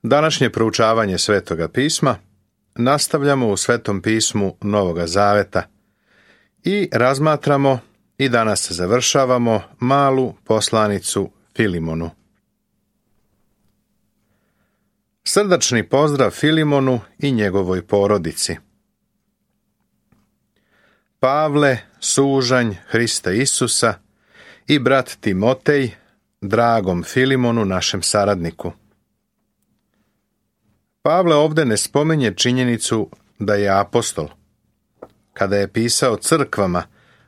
Današnje proučavanje Svetoga pisma nastavljamo u Svetom pismu Novoga Zaveta i razmatramo i danas završavamo malu poslanicu Filimonu. Srdačni pozdrav Filimonu i njegovoj porodici. Pavle, sužanj Hrista Isusa i brat Timotej, dragom Filimonu, našem saradniku. Pavle ovdje ne spominje činjenicu da je apostol. Kada je pisao crkvama,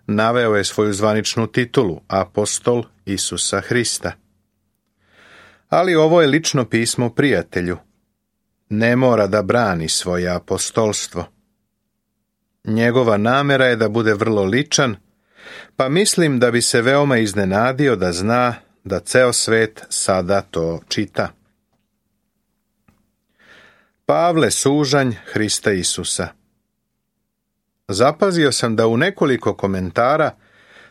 naveo je svoju zvaničnu titulu, apostol Isusa Hrista. Ali ovo je lično pismo prijatelju. Ne mora da brani svoje apostolstvo. Njegova namjera je da bude vrlo ličan, pa mislim da bi se veoma iznenadio da zna da ceo svet sada to čita. Pavle, sužanj Hrista Isusa. Zapazio sam da u nekoliko komentara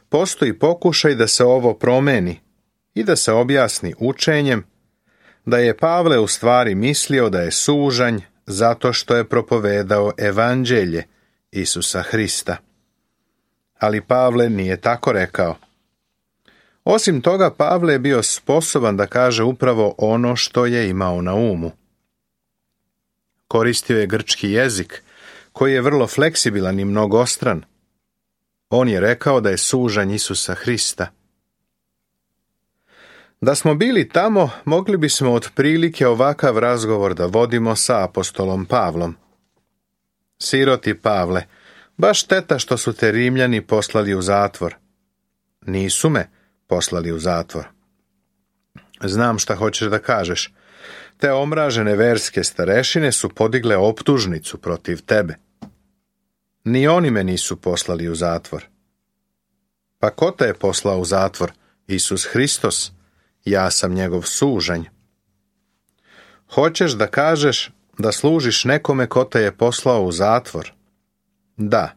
postoji pokušaj da se ovo promeni i da se objasni učenjem da je Pavle u stvari mislio da je sužanj zato što je propovedao evanđelje Isusa Hrista. Ali Pavle nije tako rekao. Osim toga, Pavle je bio sposoban da kaže upravo ono što je imao na umu. Koristio je grčki jezik, koji je vrlo fleksibilan i mnogostran. On je rekao da je sužanj Isusa Hrista. Da smo bili tamo, mogli bismo otprilike ovakav razgovor da vodimo sa apostolom Pavlom. Siroti Pavle, baš šteta što su te Rimljani poslali u zatvor. Nisu me poslali u zatvor. Znam šta hoćeš da kažeš. Te omražene verske starešine su podigle optužnicu protiv tebe. Ni oni me nisu poslali u zatvor. Pa ko te je poslao u zatvor? Isus Hristos. Ja sam njegov sužanj. Hoćeš da kažeš da služiš nekome ko te je poslao u zatvor? Da.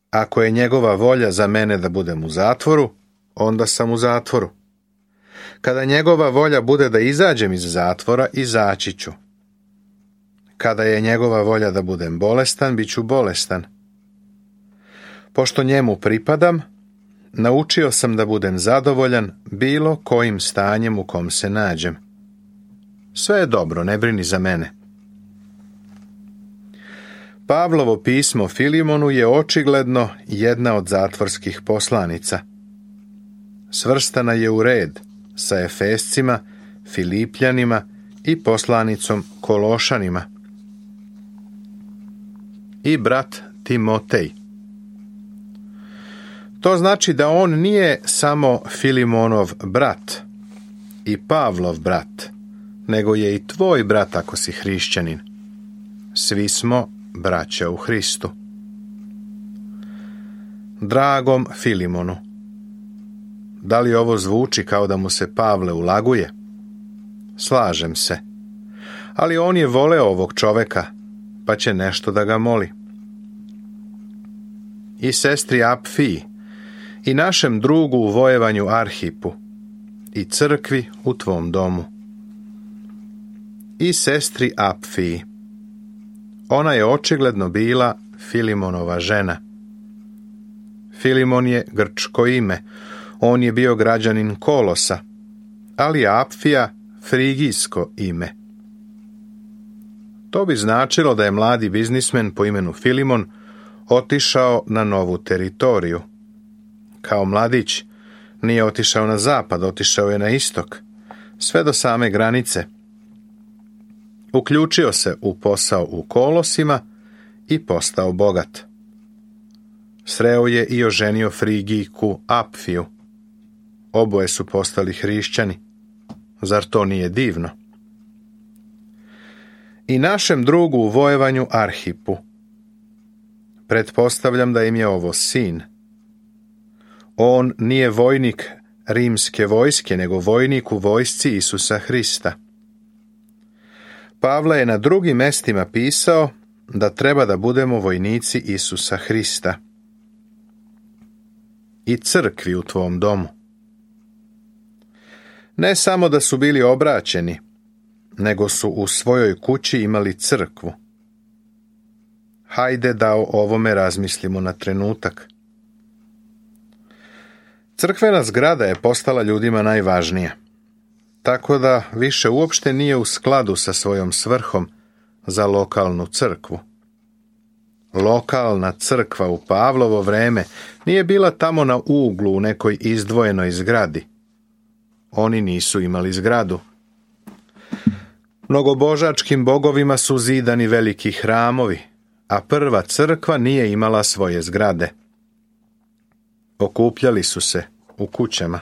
Ako je njegova volja za mene da budem u zatvoru, onda sam u zatvoru. Kada njegova volja bude da izađem iz zatvora, izaći ću. Kada je njegova volja da budem bolestan, bit ću bolestan. Pošto njemu pripadam, naučio sam da budem zadovoljan bilo kojim stanjem u kom se nađem. Sve je dobro, ne brini za mene. Pavlovo pismo Filimonu je očigledno jedna od zatvorskih poslanica. Svrstana je u red sa Efescima, Filipljanima i poslanicom Kološanima. I brat Timotej. To znači da on nije samo Filimonov brat i Pavlov brat, nego je i tvoj brat ako si hrišćanin. Svi smo braća u Hristu. Dragom Filimonu. Da li ovo zvuči kao da mu se Pavle ulaguje? Slažem se. Ali on je voleo ovog čoveka, pa će nešto da ga moli. I sestri Apfiji, i našem drugu u vojevanju Arhipu, i crkvi u tvom domu. I sestri Apfiji. Ona je očigledno bila Filimonova žena. Filimon je grčko ime, on je bio građanin Kolosa, ali Apfija frigijsko ime. To bi značilo da je mladi biznismen po imenu Filimon otišao na novu teritoriju. Kao mladić nije otišao na zapad, otišao je na istok, sve do same granice. Uključio se u posao u Kolosima i postao bogat. Sreo je i oženio Frigijku Apfiju. Oboje su postali hrišćani. Zar to nije divno? I našem drugu u vojevanju Arhipu. Pretpostavljam da im je ovo sin. On nije vojnik rimske vojske, nego vojnik u vojsci Isusa Hrista. Pavle je na drugim mestima pisao da treba da budemo vojnici Isusa Hrista. I crkvi u tvom domu. Ne samo da su bili obraćeni, nego su u svojoj kući imali crkvu. Hajde da o ovome razmislimo na trenutak. Crkvena zgrada je postala ljudima najvažnija, tako da više uopšte nije u skladu sa svojom svrhom za lokalnu crkvu. Lokalna crkva u Pavlovo vreme nije bila tamo na uglu u nekoj izdvojenoj zgradi. Oni nisu imali zgradu. Mnogobožačkim bogovima su zidani veliki hramovi, a prva crkva nije imala svoje zgrade. Okupljali su se u kućama.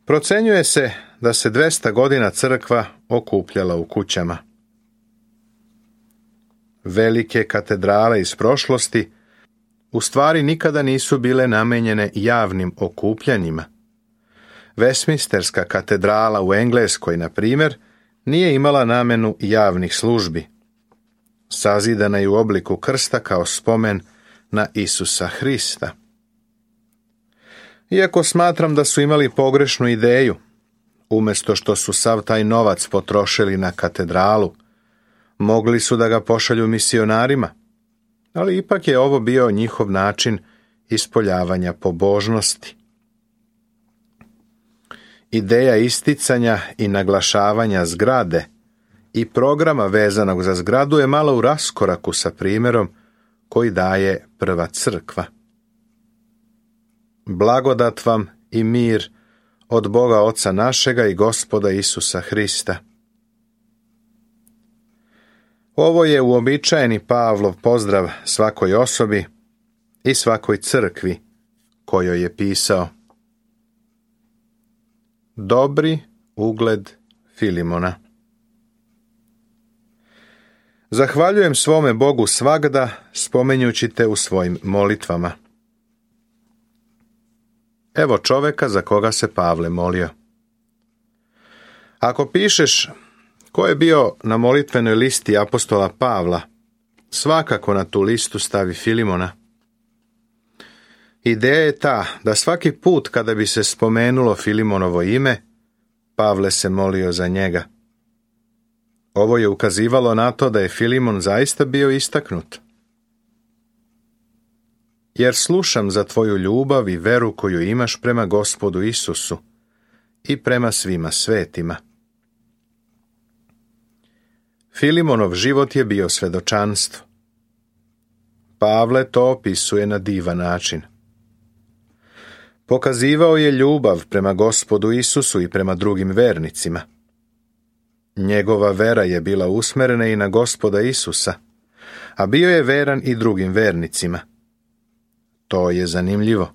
Procenjuje se da se 200 godina crkva okupljala u kućama. Velike katedrale iz prošlosti u stvari nikada nisu bile namenjene javnim okupljanjima. Westminsterska katedrala u Engleskoj, na primjer, nije imala namenu javnih službi. Sazidana je u obliku krsta kao spomen na Isusa Hrista. Iako smatram da su imali pogrešnu ideju, umjesto što su sav taj novac potrošili na katedralu, mogli su da ga pošalju misionarima, ali ipak je ovo bio njihov način ispoljavanja pobožnosti. Ideja isticanja i naglašavanja zgrade i programa vezanog za zgradu je malo u raskoraku sa primjerom koji daje prva crkva. Blagodat vam i mir od Boga Oca našega i Gospoda Isusa Hrista. Ovo je uobičajeni Pavlov pozdrav svakoj osobi i svakoj crkvi kojoj je pisao. Dobri ugled Filimona. Zahvaljujem svome Bogu svagda, spomenjući te u svojim molitvama. Evo čoveka za koga se Pavle molio. Ako pišeš ko je bio na molitvenoj listi apostola Pavla, svakako na tu listu stavi Filimona. Ideja je ta da svaki put kada bi se spomenulo Filimonovo ime, Pavle se molio za njega. Ovo je ukazivalo na to da je Filimon zaista bio istaknut. Jer slušam za tvoju ljubav i veru koju imaš prema Gospodu Isusu i prema svima svetima. Filimonov život je bio svedočanstvo. Pavle to opisuje na divan način. Pokazivao je ljubav prema Gospodu Isusu i prema drugim vernicima. Njegova vera je bila usmerena i na Gospoda Isusa, a bio je veran i drugim vernicima. To je zanimljivo.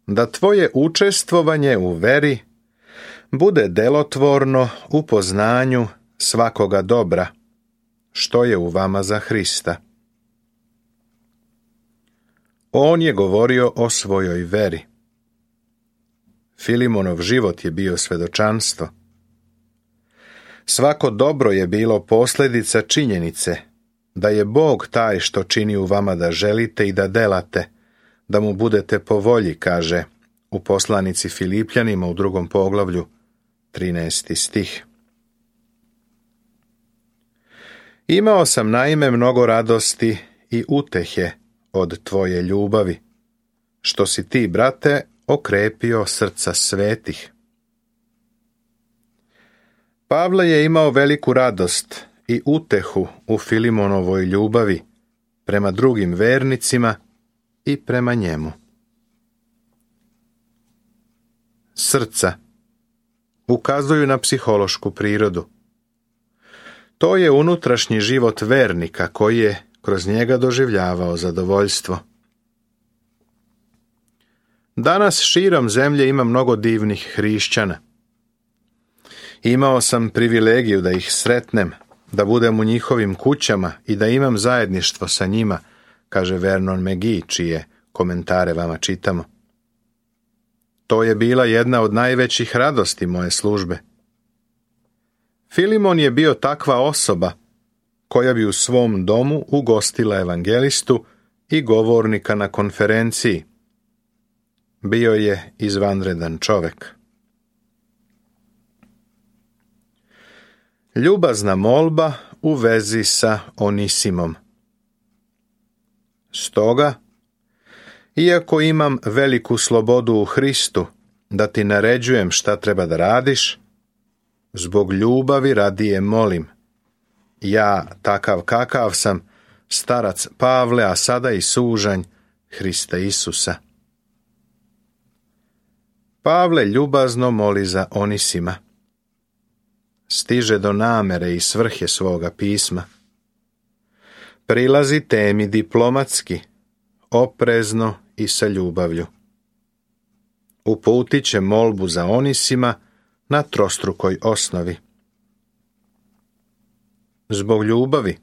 Da tvoje učestvovanje u veri bude delotvorno u poznanju svakoga dobra, što je u vama za Hrista. On je govorio o svojoj veri. Filimonov život je bio svedočanstvo. Svako dobro je bilo posljedica činjenice da je Bog taj što čini u vama da želite i da delate, da mu budete po volji, kaže u poslanici Filipljanima u 2. poglavlju, 13. stih. Imao sam naime mnogo radosti i utehe od tvoje ljubavi, što si ti, brate, okrepio srca svetih. Pavle je imao veliku radost i utehu u Filimonovoj ljubavi prema drugim vernicima i prema njemu. Srca ukazuju na psihološku prirodu. To je unutrašnji život vernika koji je kroz njega doživljavao zadovoljstvo. Danas širom zemlje ima mnogo divnih hrišćana. Imao sam privilegiju da ih sretnem, da budem u njihovim kućama i da imam zajedništvo sa njima, kaže Vernon McGee, čije komentare vama čitamo. To je bila jedna od najvećih radosti moje službe. Filimon je bio takva osoba koja bi u svom domu ugostila evangelistu i govornika na konferenciji. Bio je izvanredan čovek. Ljubazna molba u vezi sa Onisimom. Stoga, iako imam veliku slobodu u Hristu da ti naređujem šta treba da radiš, zbog ljubavi radije molim. Ja, takav kakav sam, starac Pavle, a sada i sužanj Hrista Isusa. Pavle ljubazno moli za Onisima. Stiže do namere i svrhe svoga pisma. Prilazi temi diplomatski, oprezno i sa ljubavlju. Uputit će molbu za Onisima na trostrukoj osnovi. Zbog ljubavi.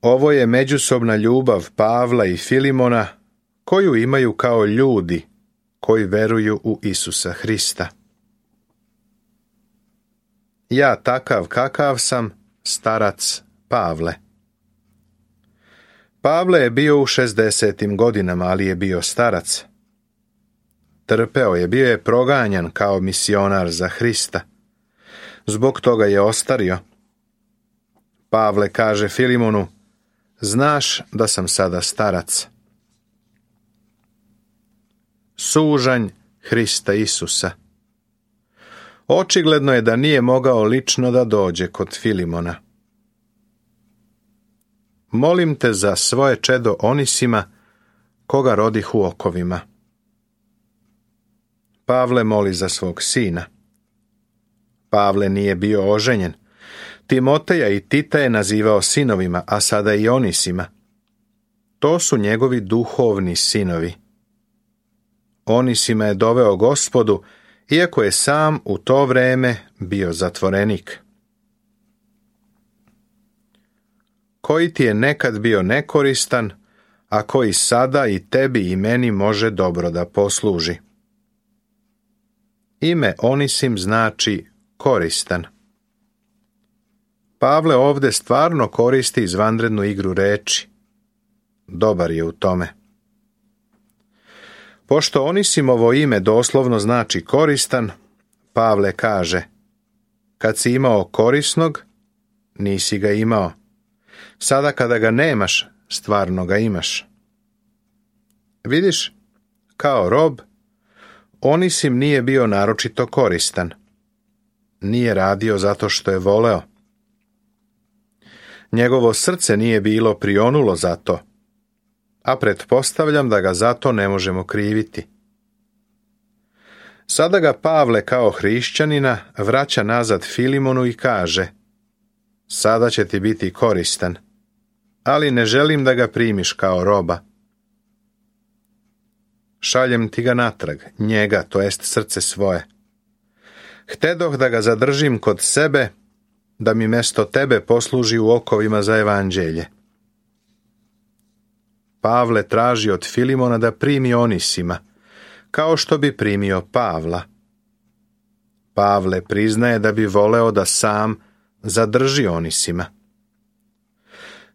Ovo je međusobna ljubav Pavla i Filimona koju imaju kao ljudi koji veruju u Isusa Hrista. Ja, takav kakav sam, starac Pavle. Pavle je bio u 60. godinama, ali je bio starac. Trpeo je, bio je proganjan kao misionar za Hrista. Zbog toga je ostario. Pavle kaže Filimonu, znaš da sam sada starac. Sužanj Hrista Isusa. Očigledno je da nije mogao lično da dođe kod Filimona. Molim te za svoje čedo Onisima, koga rodih u okovima. Pavle moli za svog sina. Pavle nije bio oženjen. Timoteja i Tita je nazivao sinovima, a sada i Onisima. To su njegovi duhovni sinovi. Onisima je doveo Gospodu, iako je sam u to vreme bio zatvorenik. Koji ti je nekad bio nekoristan, a koji sada i tebi i meni može dobro da posluži. Ime Onisim znači koristan. Pavle ovde stvarno koristi izvanrednu igru reči. Dobar je u tome. Pošto Onisimovo ime doslovno znači koristan, Pavle kaže, kad si imao korisnog, nisi ga imao. Sada kada ga nemaš, stvarno ga imaš. Vidiš, kao rob, Onisim nije bio naročito koristan. Nije radio zato što je voleo. Njegovo srce nije bilo prionulo za to, a pretpostavljam da ga zato ne možemo kriviti. Sada ga Pavle kao hrišćanina vraća nazad Filimonu i kaže, sada će ti biti koristan, ali ne želim da ga primiš kao roba. Šaljem ti ga natrag, njega, to jest srce svoje. Htedoh da ga zadržim kod sebe, da mi mesto tebe posluži u okovima za evanđelje. Pavle traži od Filimona da primi Onisima, kao što bi primio Pavla. Pavle priznaje da bi voleo da sam zadrži Onisima.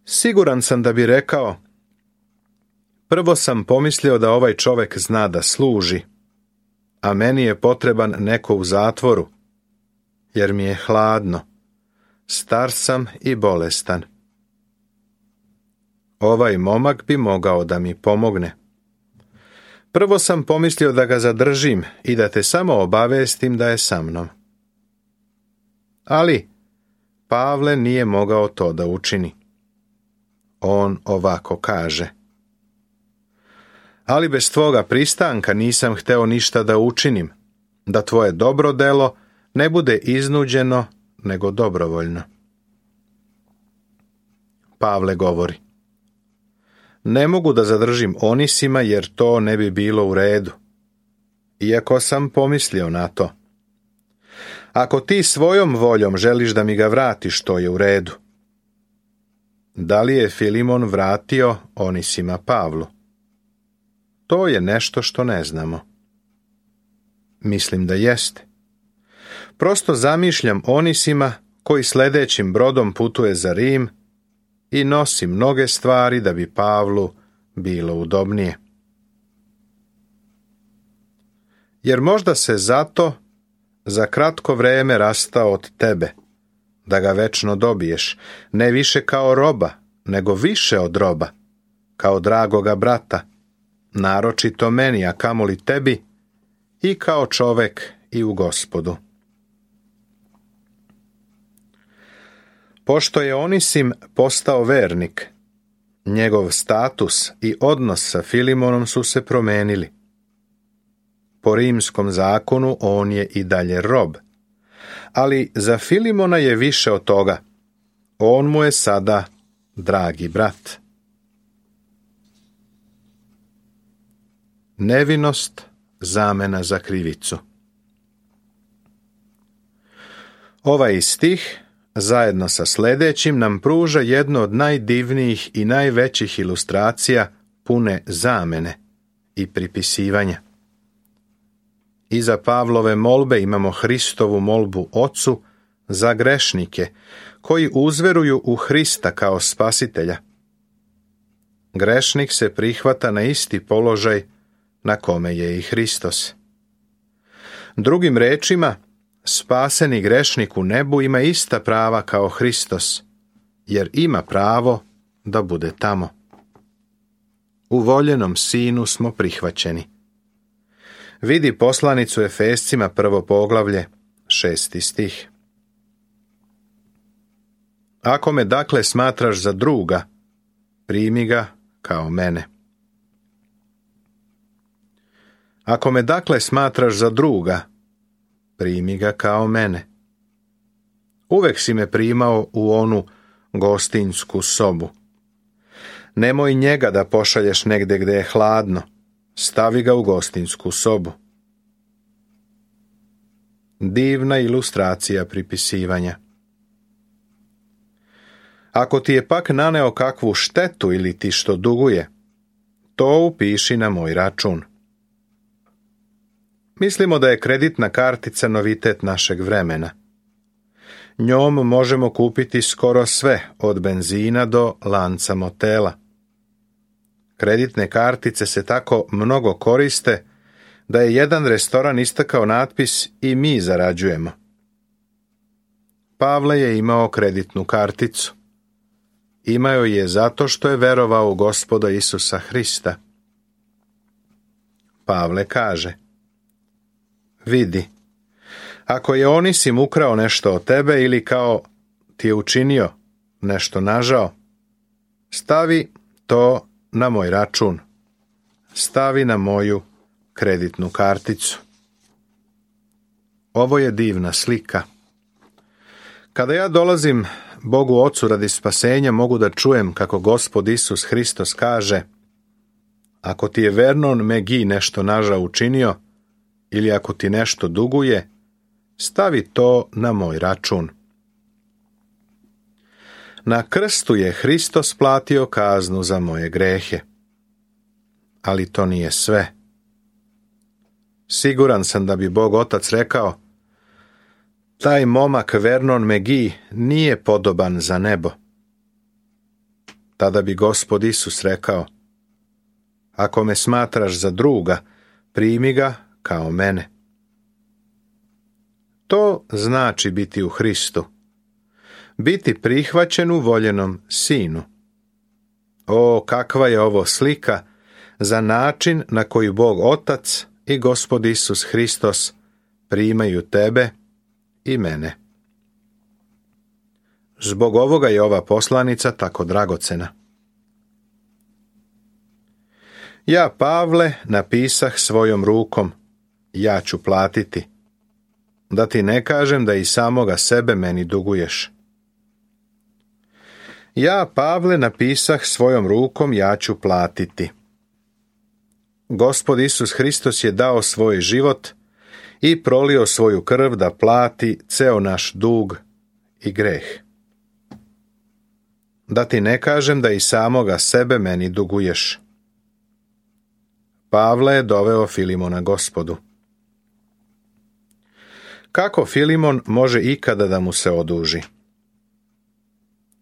Siguran sam da bi rekao, prvo sam pomislio da ovaj čovek zna da služi, a meni je potreban neko u zatvoru, jer mi je hladno, star sam i bolestan. Ovaj momak bi mogao da mi pomogne. Prvo sam pomislio da ga zadržim i da te samo obavestim da je sa mnom. Ali Pavle nije mogao to da učini. On ovako kaže, ali bez tvoga pristanka nisam hteo ništa da učinim, da tvoje dobro delo ne bude iznuđeno, nego dobrovoljno. Pavle govori, ne mogu da zadržim Onisima jer to ne bi bilo u redu, iako sam pomislio na to. Ako ti svojom voljom želiš da mi ga vratiš, to je u redu. Da li je Filimon vratio Onisima Pavlu? To je nešto što ne znamo. Mislim da jeste. Prosto zamišljam Onisima koji sledećim brodom putuje za Rim i nosi mnoge stvari da bi Pavlu bilo udobnije. Jer možda se zato za kratko vreme rastao od tebe, da ga večno dobiješ, ne više kao roba, nego više od roba, kao dragoga brata, naročito meni, a kamoli tebi, i kao čovek i u Gospodu. Pošto je Onisim postao vernik, njegov status i odnos sa Filimonom su se promenili. Po rimskom zakonu on je i dalje rob, ali za Filimona je više od toga. On mu je sada dragi brat. Nevinost, zamena za krivicu. Ovaj stih, zajedno sa sljedećim, nam pruža jednu od najdivnijih i najvećih ilustracija pune zamene i pripisivanja. Iza Pavlove molbe imamo Hristovu molbu Ocu za grešnike koji uzveruju u Hrista kao spasitelja. Grešnik se prihvata na isti položaj na kome je i Hristos. Drugim rečima, spaseni grešnik u nebu ima ista prava kao Hristos, jer ima pravo da bude tamo. U voljenom Sinu smo prihvaćeni. Vidi poslanicu Efescima 1. poglavlje, 6. stih. Ako me dakle smatraš za druga, primi ga kao mene. Ako me dakle smatraš za druga, primi ga kao mene. Uvek si me primao u onu gostinsku sobu. Nemoj njega da pošalješ negde gde je hladno, stavi ga u gostinsku sobu. Divna ilustracija pripisivanja. Ako ti je pak naneo kakvu štetu ili ti što duguje, to upiši na moj račun. Mislimo da je kreditna kartica novitet našeg vremena. Njom možemo kupiti skoro sve, od benzina do lanca motela. Kreditne kartice se tako mnogo koriste da je jedan restoran istakao natpis i mi zarađujemo. Pavle je imao kreditnu karticu. Imao je zato što je verovao u Gospoda Isusa Hrista. Pavle kaže: vidi, ako je Onisim ukrao nešto od tebe ili kao ti je učinio nešto nažao, stavi to na moj račun. Stavi na moju kreditnu karticu. Ovo je divna slika. Kada ja dolazim Bogu Ocu radi spasenja, mogu da čujem kako Gospod Isus Hristos kaže: ako ti je Vernon McGee nešto nažao učinio, ili ako ti nešto duguje, stavi to na moj račun. Na krstu je Hristos platio kaznu za moje grehe. Ali to nije sve. Siguran sam da bi Bog Otac rekao: taj momak Vernon McGee nije podoban za nebo. Tada bi Gospod Isus rekao: ako me smatraš za druga, primi ga kao mene. To znači biti u Hristu. Biti prihvaćen u voljenom Sinu. O, kakva je ovo slika za način na koji Bog Otac i Gospod Isus Hristos primaju tebe i mene. Zbog ovoga je ova poslanica tako dragocena. Ja, Pavle, napisah svojom rukom, ja ću platiti, da ti ne kažem da i samoga sebe meni duguješ. Ja, Pavle, napisah svojom rukom, ja ću platiti. Gospod Isus Hristos je dao svoj život i prolio svoju krv da plati ceo naš dug i greh. Da ti ne kažem da i samoga sebe meni duguješ. Pavle je doveo Filimona Gospodu. Kako Filimon može ikada da mu se oduži?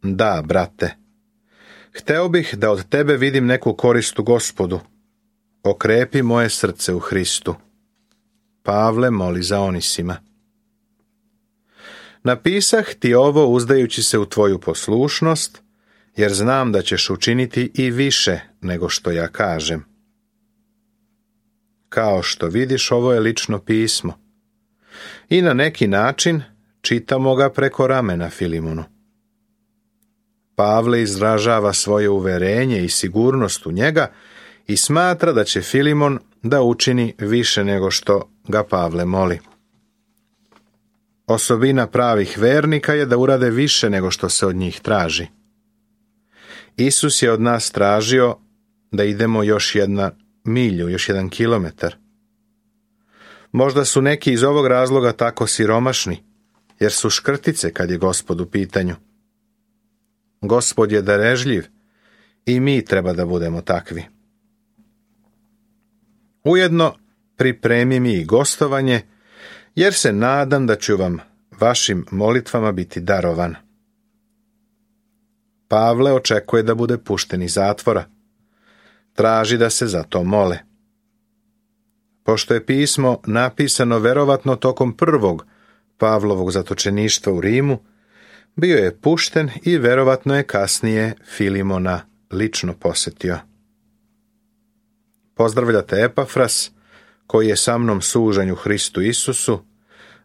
Da, brate, hteo bih da od tebe vidim neku korist u Gospodu. Okrepi moje srce u Hristu. Pavle moli za Onisima. Napisah ti ovo uzdajući se u tvoju poslušnost, jer znam da ćeš učiniti i više nego što ja kažem. Kao što vidiš, ovo je lično pismo. I na neki način čitamo ga preko ramena Filimonu. Pavle izražava svoje uverenje i sigurnost u njega i smatra da će Filimon da učini više nego što ga Pavle moli. Osobina pravih vernika je da urade više nego što se od njih traži. Isus je od nas tražio da idemo još 1 milju, još 1 kilometar. Možda su neki iz ovog razloga tako siromašni, jer su škrtice kad je Gospod u pitanju. Gospod je darežljiv i mi treba da budemo takvi. Ujedno pripremi mi i gostovanje, jer se nadam da ću vam vašim molitvama biti darovan. Pavle očekuje da bude pušten iz zatvora. Traži da se za to mole. Pošto je pismo napisano verovatno tokom prvog Pavlovog zatočeništva u Rimu, bio je pušten i verovatno je kasnije Filimona lično posetio. Pozdravljate Epafras, koji je sa mnom sužanj u Hristu Isusu,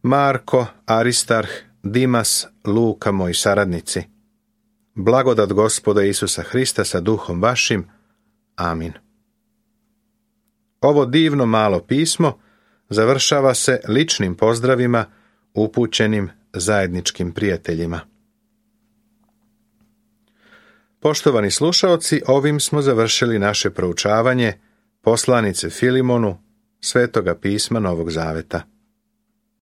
Marko, Aristarh, Dimas, Luka, moji saradnici. Blagodat Gospoda Isusa Hrista sa duhom vašim. Amin. Ovo divno malo pismo završava se ličnim pozdravima upućenim zajedničkim prijateljima. Poštovani slušaoci, ovim smo završili naše proučavanje poslanice Filimonu Svetoga pisma Novog Zaveta.